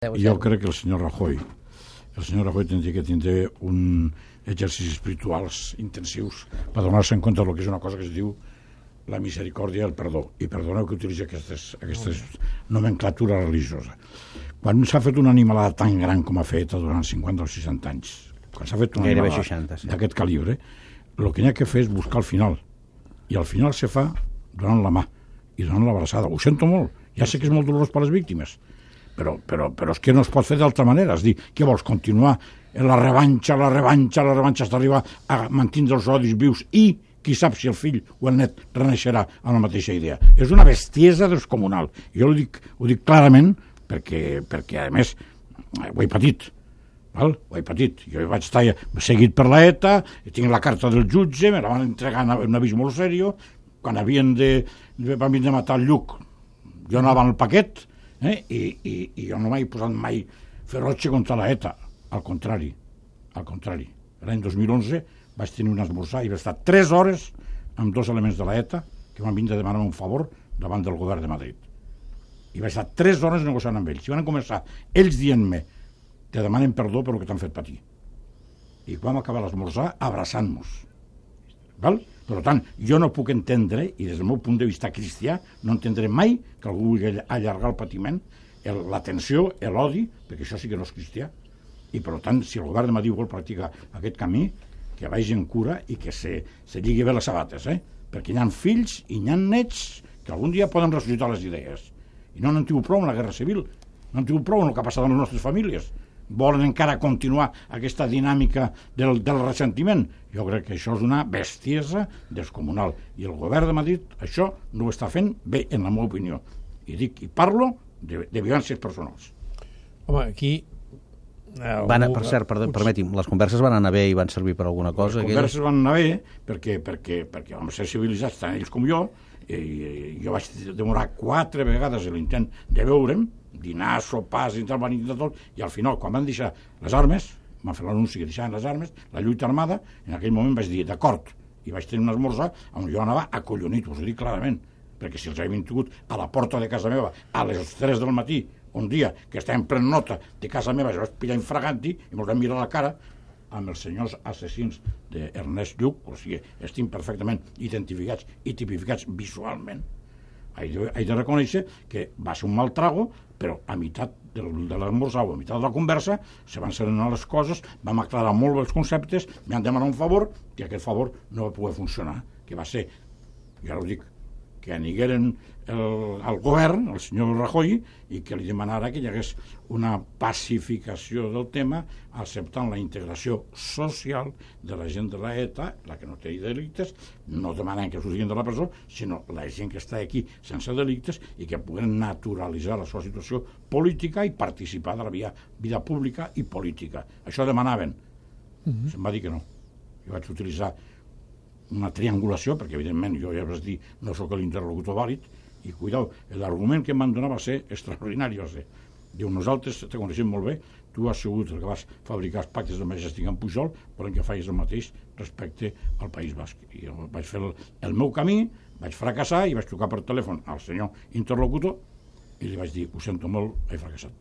Jo crec que el senyor Rajoy tindria que tindre un exercicis espirituals intensius per donar-se en compte del que és una cosa que es diu la misericòrdia i el perdó. I perdoneu que utilitzi aquestes nomenclatura religiosa. Quan s'ha fet una animalada tan gran com ha fet durant 50 o 60 anys, quan s'ha fet una animalada d'aquest calibre, el que n'hi ha que fer és buscar el final. I al final se fa donant la mà i donant l'abraçada. Ho sento molt. Ja sé que és molt dolorós per les víctimes, però és que no es pot fer d'altra manera. És dir, què vols, continuar la revanxa hasta arribar a mantindre els odis vius i qui sap si el fill o el net reneixerà amb la mateixa idea. És una bestiesa descomunal. Jo ho dic clarament perquè a més ho he patit. Val? Ho he patit. Jo vaig estar seguit per la ETA, tinc la carta del jutge, me la van entregar en un avís molt seriós. Quan van vindre a matar el Lluc, jo anava en el paquet, i jo no m'he posat mai ferotge contra la ETA. Al contrari. L'any 2011 vaig tenir un esmorzar i vaig estar 3 hores amb 2 elements de la ETA que van vindre a demanar un favor davant del govern de Madrid. I vaig estar 3 hores negociant amb ells. I van començar ells dient-me: te demanen perdó per el que t'han fet patir. I vam acabar l'esmorzar abraçant-nos. Val? Per tant, jo no puc entendre, i des del meu punt de vista cristià, no entendré mai que algú vulgui allargar el patiment, la tensió, l'odi, perquè això sí que no és cristià. I per tant, si el govern de Madrid vol practicar aquest camí, que vagi en cura i que se lligui bé les sabates, perquè hi ha fills i hi ha nets que algun dia poden ressuscitar les idees. I no n'han tingut prou en la guerra civil, no han tingut prou en el que ha passat en les nostres famílies. Volen encara continuar aquesta dinàmica del ressentiment. Jo crec que això és una bestiesa descomunal. I el govern de Madrid això no ho està fent bé, en la meva opinió. I parlo de violències personals. Home, aquí... Per cert, permeti'm, les converses van anar bé i van servir per alguna cosa? Les converses van anar bé perquè vam ser civilitzats tant ells com jo, i jo vaig demorar 4 vegades l'intent de veure'm, dinar, sopars, van intentar tot, i al final, quan van deixar les armes, van fer l'anunci que deixaven les armes, la lluita armada, en aquell moment vaig dir, d'acord, i vaig tenir un esmorzar on jo anava acollonit, us ho dic clarament, perquè si els havien tingut a la porta de casa meva a les 3 del matí, un dia que estàvem prenent nota de casa meva, jo vaig pillar infraganti i me'ls vam mirar a la cara amb els senyors assassins d'Ernest Lluch, o sigui, estem perfectament identificats i tipificats visualment. He de reconèixer que va ser un mal trago, però a meitat de l'esmorzar o a meitat de la conversa se van serenar les coses, vam aclarar molt els conceptes, m'han demanat un favor i aquest favor no va poder funcionar, que va ser, ja ho dic, que anigueren al govern, el senyor Rajoy, i que li demanara que hi hagués una pacificació del tema acceptant la integració social de la gent de la ETA, la que no té delictes, no demanant que surtin de la presó, sinó la gent que està aquí sense delictes i que puguen naturalitzar la seva situació política i participar de la vida pública i política. Això demanaven. Se'm va dir que no. Jo vaig utilitzar una triangulació, perquè evidentment jo ja vaig dir no sóc l'interlocutor vàlid, i cuidao, l'argument que em van donar va ser extraordinari, va ser, diu, nosaltres te coneixem molt bé, tu has sigut el que vas fabricar els pactes de Majestic en Pujol, volem que facis el mateix respecte al País Basc. I jo vaig fer el meu camí, vaig fracassar i vaig trucar per telèfon al senyor interlocutor i li vaig dir, ho sento molt, he fracassat.